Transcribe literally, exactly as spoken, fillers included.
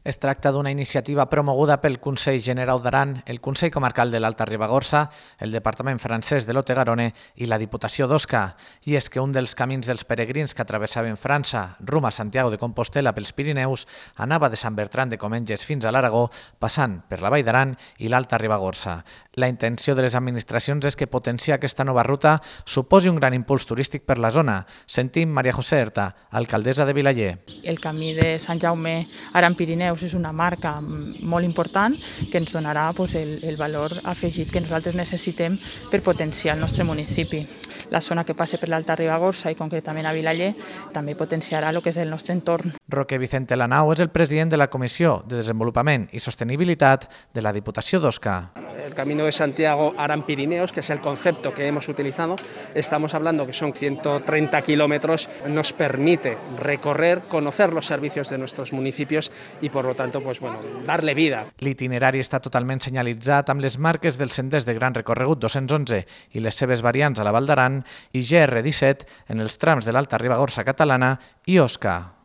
Es tracta d'una iniciativa promoguda pel Consell Generau d'Aran, el Consell Comarcal de l'Alta Ribagorça, el Departament francès de l'Ot-et-Garonne i la Diputació d'Osca. I és que un dels camins dels peregrins que travessaven França, rumb a Santiago de Compostela pels Pirineus, anava de Sant Bertran de Comenges fins a l'Aragó, passant per la Vall d'Aran i l'Alta Ribagorça. La intenció de les administracions és que potenciar aquesta nova ruta suposi un gran impuls turístic per la zona. Sentim Maria José Erta, alcaldessa de Vilaller. El camí de Sant Jaume Aran Pirineus és una marca molt important que ens donarà pues, el, el valor afegit que nosaltres necessitem per potenciar el nostre municipi. La zona que passa per l'Alta Ribagorça i concretament a Vilaller també potenciarà el que és el nostre entorn. Roque Vicente Lanao és el president de la Comissió de Desenvolupament i Sostenibilitat de la Diputació d'Osca. El Camino de Santiago Aran Pirineos, que es el concepto que hemos utilizado, estamos hablando que son ciento treinta kilómetros, nos permite recorrer, conocer los servicios de nuestros municipios y por lo tanto, pues bueno, darle vida. L'itinerari està totalment senyalitzat amb les marques dels senders de gran recorregut dos-cents onze i les seves variants a la Val d'Aran i G R disset en els trams de l'Alta Ribagorça catalana i Osca.